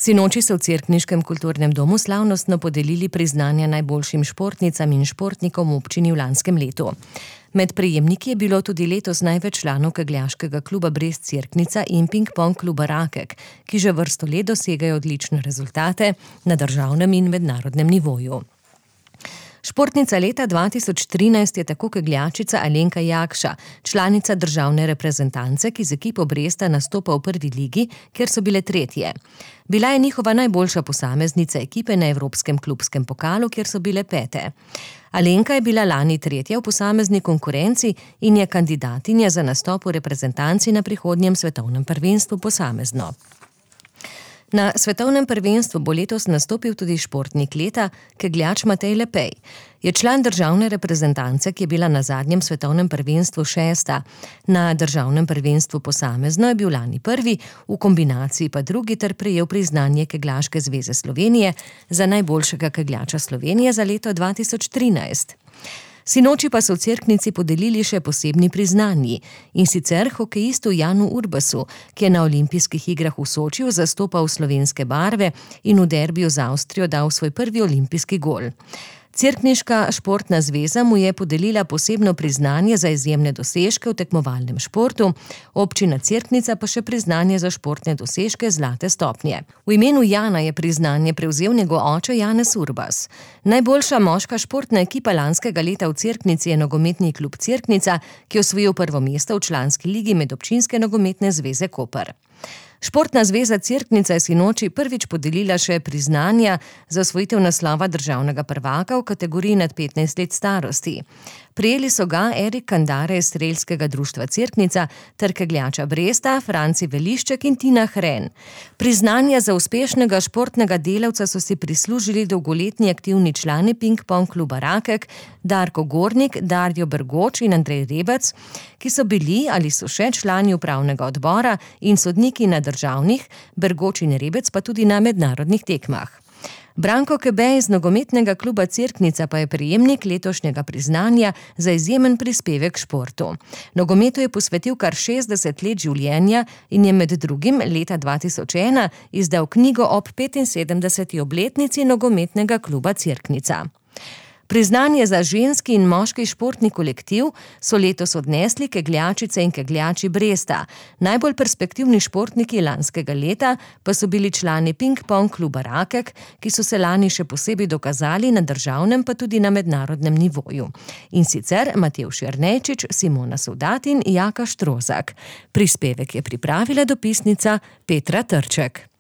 Sinoči so v Cerkniškem kulturnem domu slavnostno podelili priznanja najboljšim športnicam in športnikom v občini v lanskem letu. Med prejemniki je bilo tudi letos največ članov kegljaškega kluba Brest Cerknica in ping-pong kluba Rakek, ki že vrsto let dosegajo odlične rezultate na državnem in mednarodnem nivoju. Športnica leta 2013 je tako kegljačica Alenka Jakša, članica državne reprezentance, ki z ekipo Bresta nastopa v prvi ligi, kjer so bile tretje. Bila je njihova najboljša posameznica ekipe na Evropskem klubskem pokalu, kjer so bile pete. Alenka je bila lani tretja v posamezni konkurenci in je kandidatinja za nastop v reprezentanci na prihodnjem svetovnem prvenstvu posamezno. Na svetovnem prvenstvu bo letos nastopil tudi športnik leta, kegljač Matej Lepej. Je član državne reprezentance, ki je bila na zadnjem svetovnem prvenstvu 6. Na državnem prvenstvu posamezno je bil lani prvi, v kombinaciji pa drugi ter prejel priznanje Kegljaške zveze Slovenije za najboljšega kegljača Slovenije za leto 2013. Sinoči pa so v Cerknici podelili še posebni priznanji, in sicer hokejistu Janu Urbasu, ki je na olimpijskih igrah v Sočiju zastopal slovenske barve in v derbiju z Avstrijo dal svoj prvi olimpijski gol. Cerkniška športna zveza mu je podelila posebno priznanje za izjemne dosežke v tekmovalnem športu, občina Cerknica pa še priznanje za športne dosežke zlate stopnje. V imenu Jana je priznanje prevzel njegov oče Janez Urbas. Najboljša moška športna ekipa lanskega leta v Cerknici je nogometni klub Cerknica, ki je osvojil prvo mesto v članski ligi Medobčinske nogometne zveze Koper. Športna zveza Cerknica je sinoči prvič podelila še priznanja za osvojitev naslova državnega prvaka v kategoriji nad 15 let starosti. Prejeli so ga Erik Kandare iz Strelskega društva Cerknica ter kegljača Bresta, Franci Velišček in Tina Hren. Priznanja za uspešnega športnega delavca so si prislužili dolgoletni aktivni člani ping-pong kluba Rakek, Darko Gornik, Darjo Bergoč in Andrej Rebec, ki so bili ali so še člani upravnega odbora in sodniki na državnih, Bergoč in Rebec pa tudi na mednarodnih tekmah. Branko Kebej iz nogometnega kluba Cerknica pa je prejemnik letošnjega priznanja za izjemen prispevek športu. Nogometu je posvetil kar 60 let življenja in je med drugim leta 2001 izdal knjigo ob 75. obletnici nogometnega kluba Cerknica. Priznanje za ženski in moški športni kolektiv so letos odnesli kegljačice in kegljači Bresta. Najbolj perspektivni športniki lanskega leta pa so bili člani ping-pong kluba Rakek, ki so se lani še posebej dokazali na državnem pa tudi na mednarodnem nivoju. In sicer Matevž Jernejčič, Simona Sovdat in Jaka Štrozak. Prispevek je pripravila dopisnica Petra Trček.